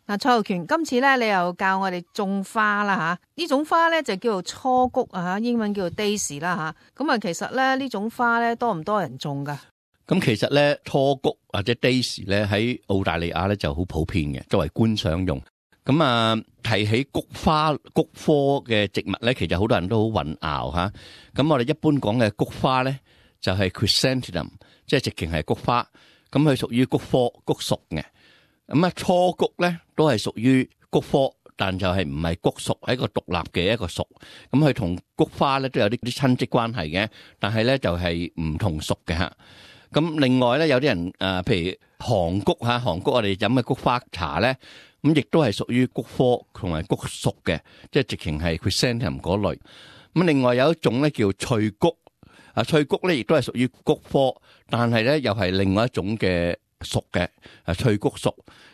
嗱，蔡浩權，今次咧你又教我哋種花啦吓，呢種花咧就叫做初菊啊，英文叫做 daisy 啦吓。咁啊，其實咧呢種花咧多唔多人種噶？咁其實咧初菊或者 daisy 咧喺澳大利亞咧就好普遍嘅，作為觀賞用。咁啊，提起菊花、菊科嘅植物咧，其實好多人都好混淆吓。咁我哋一般講嘅菊花咧就係 chrysanthemum， 即係直情係菊花。咁佢屬於菊科菊屬嘅。咁啊，初菊咧都係屬於菊科，但就係唔係菊屬，係一個獨立嘅一個屬。咁佢同菊花咧都有啲親戚關係嘅，但係咧就係唔同屬嘅吓。咁另外咧有啲人譬如韓菊吓，韓菊我哋飲嘅菊花茶咧，咁亦都係屬於菊科同埋菊屬嘅，即係直情係 chrysanthemum 嗰類。咁另外有一種咧叫翠菊，翠菊咧亦都係屬於菊科，但係咧又係另外一種嘅屬嘅，翠菊屬。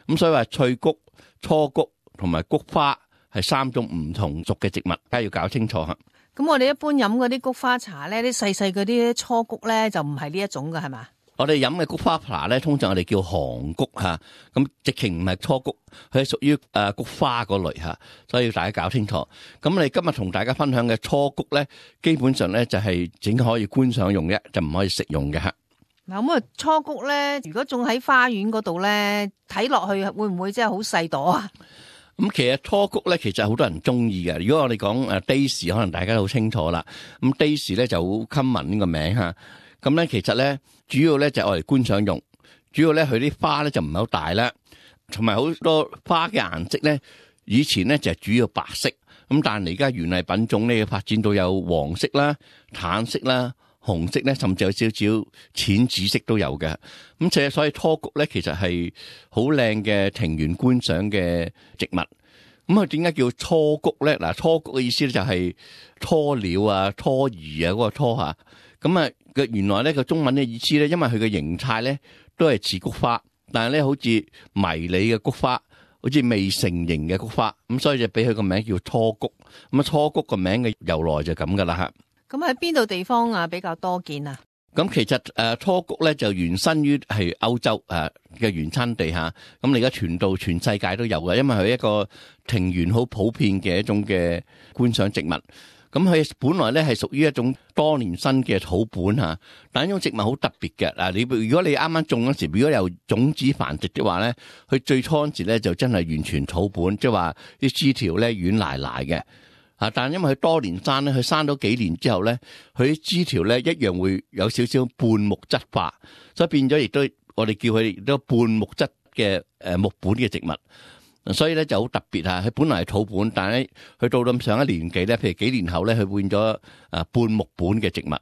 咁所以話翠菊、初菊同埋菊花係三種唔同屬嘅植物，大家要搞清楚吓。咁我哋一般飲嗰啲菊花茶咧，啲細細嗰啲初菊咧就唔係呢一種噶，係嘛？我哋飲嘅菊花茶咧，通常我哋叫韓菊吓，咁直情唔係初菊，佢係屬於菊花嗰類吓，所以要大家搞清楚。咁我哋今日同大家分享嘅初菊咧，基本上咧就係整可以觀賞用嘅，就唔可以食用嘅吓。嗱咁啊，初菊咧，如果種喺花園嗰度咧，睇落去會唔會真係好細朵啊？咁其實初菊咧，其實好多人中意嘅。如果我哋講daisy，可能大家都好清楚啦。咁 daisy 咧就好 common 呢個名吓。咁咧其實咧主要咧就係我哋觀賞用，主要咧佢啲花咧就唔係好大啦，同埋好多花嘅顏色咧，以前咧就係主要白色。咁但係而家園藝品種咧發展到有黃色啦、橙色啦、紅色咧，甚至有少少淺紫色都有嘅。咁所以初菊咧，其實係好靚嘅庭園觀賞嘅植物。咁佢點解叫初菊咧？嗱，初菊嘅意思咧就係雛鳥啊、雛兒啊嗰個雛吓。咁啊，原來咧個中文嘅意思咧，因為佢嘅形態咧都係似菊花，但係咧好似迷你嘅菊花，好似未成型嘅菊花。咁所以就俾佢個名叫初菊。咁啊，初菊個名嘅由來就咁噶啦吓。咁喺邊度地方比較多見啊？咁其實初菊咧就原生於係歐洲嘅原產地吓，咁你而家傳到全世界都有嘅，因為佢一個庭園好普遍嘅一種嘅觀賞植物。咁佢本來咧係屬於一種多年生嘅草本吓，但係呢種植物好特別嘅嗱。如果你啱啱種嗰時，如果由種子繁殖的話咧，佢最初嗰時咧就真係完全草本，即係話啲枝條咧軟賴賴嘅。但係因為佢多年生咧，佢生咗幾年之後咧，佢啲枝條咧一樣會有少少半木質化，所以變咗亦都我哋叫佢亦都半木質嘅木本嘅植物，所以咧就好特別吓。佢本來係草本，但係咧佢到咁上一年紀咧，譬如幾年後咧，佢變咗半木本嘅植物。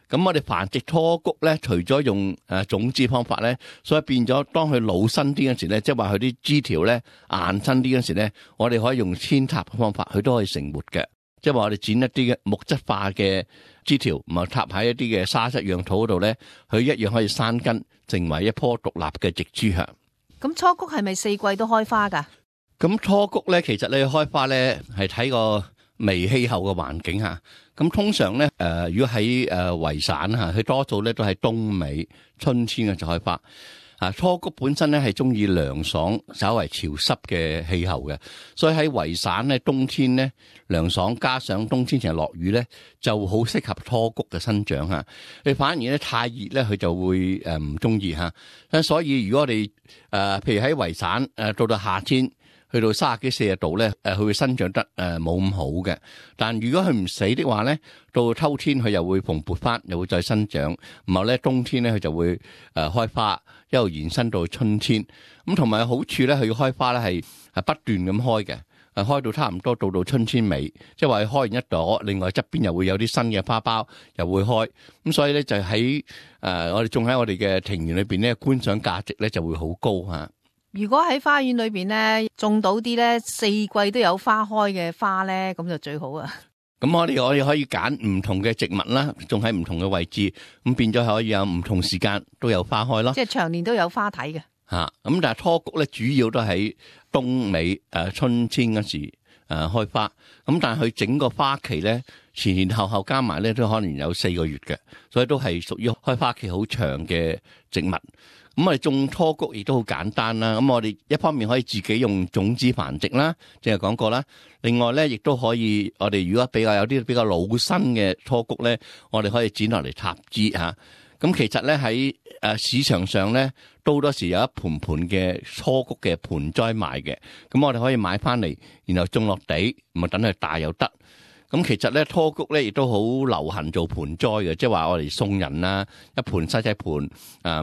咁我哋繁殖初菊咧，除咗用種子方法咧，所以變咗當佢老身啲嗰時咧，即係話佢啲枝條咧硬身啲嗰時咧，我哋可以用扦插嘅方法，佢都可以成活嘅。即係話我哋剪一啲嘅木質化嘅枝條，唔係插喺一啲嘅沙質樣土嗰度咧，佢一樣可以生根，成為一棵獨立嘅植株吓。咁初菊係咪四季都開花噶？咁初菊咧，其實你開花咧係睇個微氣候嘅環境吓。咁通常咧，如果喺維省吓，佢多數咧都係冬尾、春天嘅就開花。初菊本身咧係中意涼爽、稍為潮濕嘅氣候嘅，所以喺維省咧冬天咧涼爽，加上冬天成日落雨咧，就好適合初菊嘅生長吓。你反而咧太熱咧，佢就會唔中意吓。所以如果我哋譬如喺維省到夏天，去到30幾40度咧，佢會生長得冇咁好嘅。但如果佢唔死的話咧，到秋天佢又會蓬勃翻，又會再生長。然後咧冬天咧佢就會開花，一路延伸到春天。咁同埋好處咧，佢開花咧係不斷咁開嘅，開到差唔多到春天尾，即係話佢開完一朵，另外側邊又會有啲新嘅花苞又會開。咁所以咧就喺我哋種喺我哋嘅庭園裏邊咧，觀賞價值咧就會好高吓。如果喺花園裏邊咧種到啲咧四季都有花開嘅花咧，咁就最好啊！咁我哋可以揀唔同嘅植物啦，種喺唔同嘅位置，咁變咗可以有唔同時間都有花開咯。即係長年都有花睇嘅。咁但係初菊咧主要都喺冬尾春天嗰時開花，咁但係佢整個花期咧前後加埋咧都可能有4個月嘅，所以都係屬於開花期好長嘅植物。咁我哋種初菊亦都好簡單啦。咁我哋一方面可以自己用種子繁殖啦，正係講過啦。另外咧，亦都可以我哋如果比較有啲比較老身嘅初菊咧，我哋可以剪落嚟插枝嚇。咁其實咧喺市場上咧，都好多時有一盤嘅初菊嘅盆栽賣嘅。咁我哋可以買翻嚟，然後種落地，咪等佢大又得。咁其實咧，初菊咧亦都好流行做盆栽嘅，即係話我哋送人啦，一盤細細盤，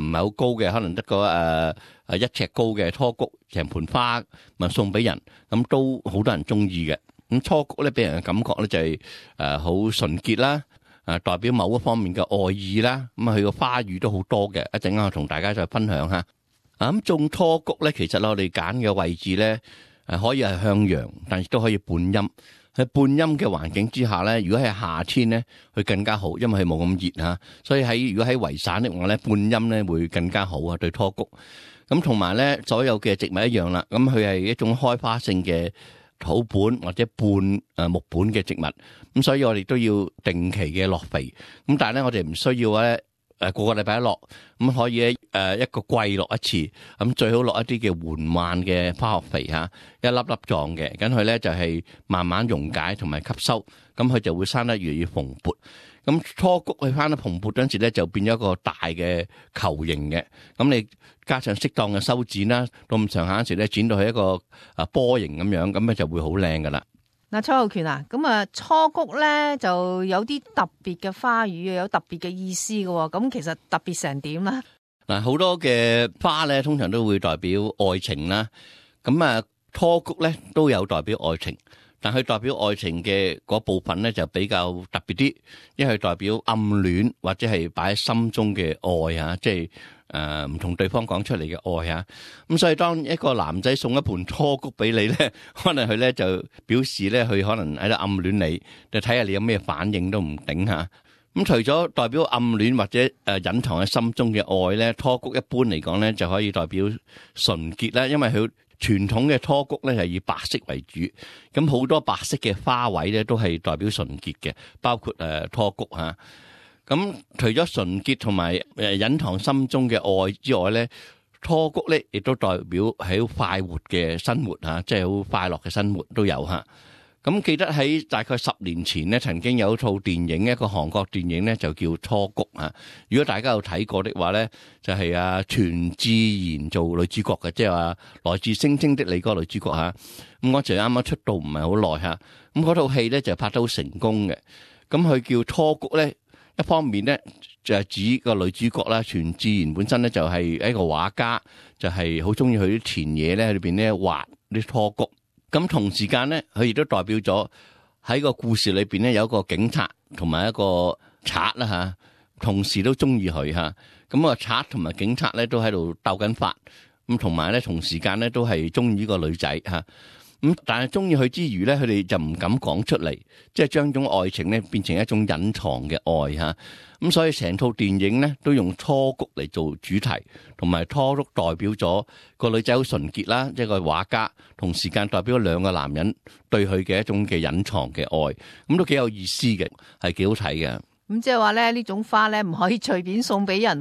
唔係好高嘅，可能得個1尺高嘅初菊，成盆花咪送俾人，咁都好多人中意嘅。咁初菊咧俾人嘅感覺咧就係好純潔啦，代表某一方面嘅愛意啦。咁佢個花語都好多嘅，一陣間我同大家再分享下。咁種初菊咧，其實我哋揀嘅位置咧，可以係向陽，但亦都可以半陰。喺半陰嘅環境之下咧，如果係夏天咧，佢更加好，因為佢冇咁熱吓，所以如果喺維省的話咧，半陰咧會更加好啊，對初菊。咁同埋咧，所有嘅植物一樣啦，咁佢係一種開花性嘅土本或者半木本嘅植物，咁所以我哋都要定期嘅落肥。咁但係咧，我哋唔需要咧。個個禮拜一落，咁可以一個季落一次，咁最好落一啲嘅緩慢嘅化學肥嚇，一粒粒狀嘅，咁佢咧就係慢慢溶解同埋吸收，咁佢就會生得越嚟越蓬勃。咁初菊佢生得蓬勃嗰陣時咧，就變咗一個大嘅球形嘅，咁你加上適當嘅修剪啦，到咁上下嗰時咧，剪到係一個波形咁樣，咁咧就會好靚噶啦。嗱，蔡浩權啊，咁啊初菊咧就有啲特別嘅花語，有特別嘅意思嘅，咁其實特別成點啦？嗱，好多嘅花咧，通常都會代表愛情啦。咁初菊咧都有代表愛情，但佢代表愛情嘅嗰部分咧就比較特別啲，因為代表暗戀或者係擺喺心中嘅愛啊，即係唔同對方講出嚟嘅愛啊。咁所以當一個男仔送一盆初菊俾你咧，可能佢咧就表示咧佢可能喺度暗戀你，就睇下你有咩反應都唔定吓。咁除咗代表暗戀或者隱藏喺心中嘅愛咧，初菊一般嚟講咧就可以代表純潔啦，因為佢傳統嘅初菊咧係以白色為主，咁好多白色嘅花卉咧都係代表純潔嘅，包括初菊吓。咁除咗純潔同埋隱藏心中嘅愛之外咧，初菊咧亦都代表係好快活嘅生活吓，即係好快樂嘅生活都有吓。咁記得喺大概10年前咧，曾經有一套電影，一個韓國電影咧就叫初菊吓。如果大家有睇過的話咧，就係全智賢做女主角嘅，即係話來自星星的你嗰個女主角吓。咁我就啱啱出道唔係好耐吓，咁嗰套戲咧就拍得好成功嘅。咁佢叫初菊咧，一方面咧就係指個女主角啦，全智賢本身咧就係一個畫家，就係好中意去啲田野咧裏邊咧畫啲初菊。咁同時間咧，佢亦都代表咗喺個故事裏邊咧有一個警察同埋一個賊啦吓，同時都中意佢吓。咁個賊同埋警察咧都喺度鬥緊法，咁同埋咧同時間咧都係中意呢個女仔吓。咁但係中意佢之餘咧，佢哋就唔敢講出嚟，即係將種愛情咧變成一種隱藏嘅愛吓。咁所以成套電影咧都用初菊嚟做主題，同埋初菊代表咗個女仔好純潔啦，即係個畫家，同時間代表兩個男人對佢嘅一種嘅隱藏嘅愛，咁都幾有意思嘅，係幾好睇嘅。咁即係話咧，呢種花咧唔可以隨便送俾人。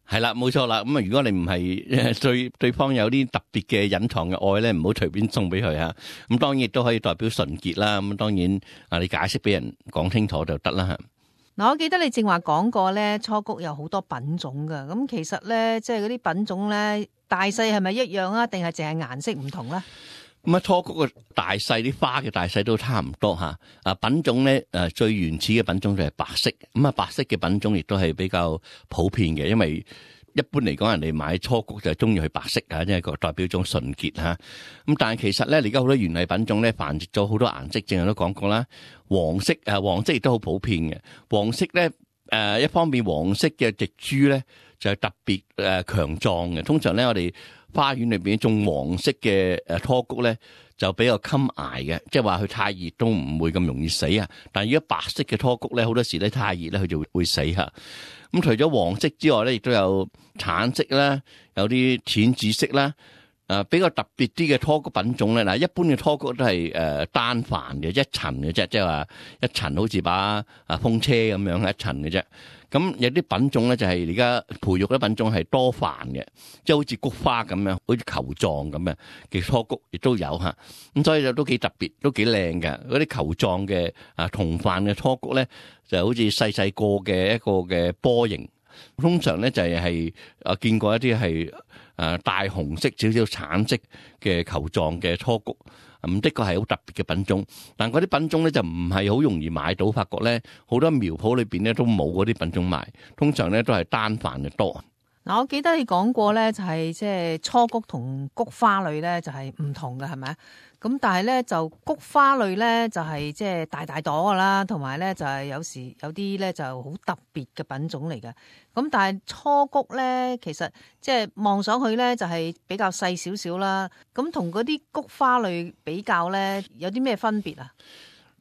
係啦，冇錯啦。咁如果你唔係對方有啲特別嘅隱藏嘅愛咧，唔好隨便送俾佢吓。咁當然亦都可以代表純潔啦。咁當然你解釋俾人講清楚就得啦吓。嗱，我記得你正話講過咧，初菊有好多品種噶。咁其實咧，即係嗰啲品種咧，大細係咪一樣啊？定係淨係顏色唔同咧？咁初菊嘅大細，啲花嘅大細都差唔多吓。品種咧，最原始嘅品種就係白色。咁白色嘅品種亦都係比較普遍嘅，因為一般嚟講，人哋買初菊就係中意佢白色吓，即係代表種純潔吓。咁但係其實咧，而家好多園藝品種咧繁殖咗好多顏色，正如都講過啦。黃色亦都好普遍嘅。黃色咧，一方面黃色嘅植株咧就係特別強壯嘅。通常咧，我哋花園裏邊種黃色嘅初菊咧就比較襟捱嘅，即係話佢太熱都唔會咁容易死啊。但係如果白色嘅初菊咧，好多時咧太熱咧，佢就會死吓。咁除咗黃色之外咧，亦都有橙色啦，有啲淺紫色啦，比較特別啲嘅拖菊品種咧，嗱一般嘅拖菊都係單繁嘅一層嘅啫，即係話一層好似把風車咁樣一層嘅啫。咁有啲品種咧就係而家培育啲品種係多繁嘅，即係好似菊花咁樣，好似球狀咁嘅拖菊亦都有嚇。咁所以就都幾特別，都幾靚嘅。嗰啲球狀嘅同繁嘅拖菊咧，就好似細細個嘅一個嘅波形。通常咧就係見過一啲係大紅色少少橙色嘅球狀嘅拖菊，咁的確係好特別嘅品種。但嗰啲品種咧就唔係好容易買到，發覺咧好多苗圃裏邊咧都冇嗰啲品種賣，通常咧都係單繁嘅多。嗱，我記得你講過咧，就係即係初菊同菊花類咧就係唔同嘅，係咪？咁但係咧就菊花類咧就係即係大大朵噶啦，同埋咧就係有時有啲咧就好特別嘅品種嚟嘅。咁但係初菊咧其實即係望上去咧就係比較細少少啦。咁同嗰啲菊花類比較咧有啲咩分別啊？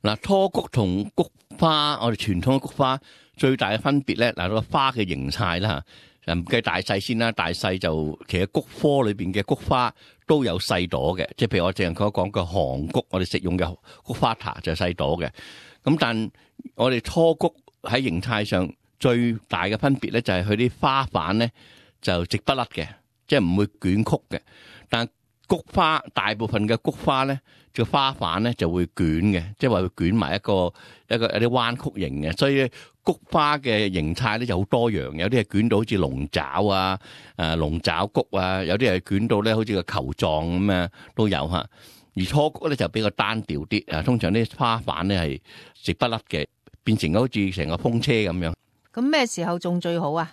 嗱，初菊同菊花，我哋傳統嘅菊花最大嘅分別咧，嗱個花嘅形態啦。唔計大細先啦，大細就其實菊科裏邊嘅菊花都有細朵嘅，即係譬如我淨係講嘅杭菊，我哋食用嘅菊花塔就細朵嘅。咁但我哋初菊喺形態上最大嘅分別咧，就係佢啲花瓣咧就直不甩嘅，即係唔會捲曲嘅。但菊花大部分嘅菊花咧，個花瓣咧就會捲嘅，即係話會捲埋一個有啲彎曲形嘅，所以菊花嘅形態咧就好多樣，有啲係捲到好似龍爪啊、龍爪菊啊，有啲係捲到咧好似個球狀咁啊都有嚇。而初菊咧就比較單調啲，通常啲花瓣咧係直不甩嘅，變成好似成個風車咁樣。咁咩時候種最好啊？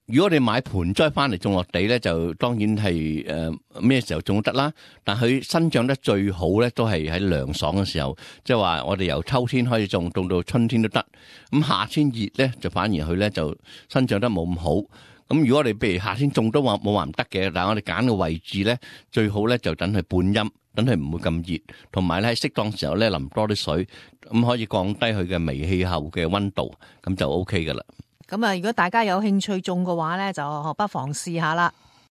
如果你買盆栽翻嚟種落地咧，就當然係咩時候種都得啦。但佢生長得最好咧，都係喺涼爽嘅時候，即係話我哋由秋天開始種到春天都得。咁夏天熱咧，就反而佢咧就生長得冇咁好。咁如果我哋譬如夏天種都冇話唔得嘅，但係我哋揀個位置咧，最好咧就等佢半陰，等佢唔會咁熱，同埋咧喺適當時候咧淋多啲水，咁可以降低佢嘅微氣候嘅溫度，咁就 OK 噶啦。咁啊，如果大家有興趣種嘅話咧，就不妨試下啦。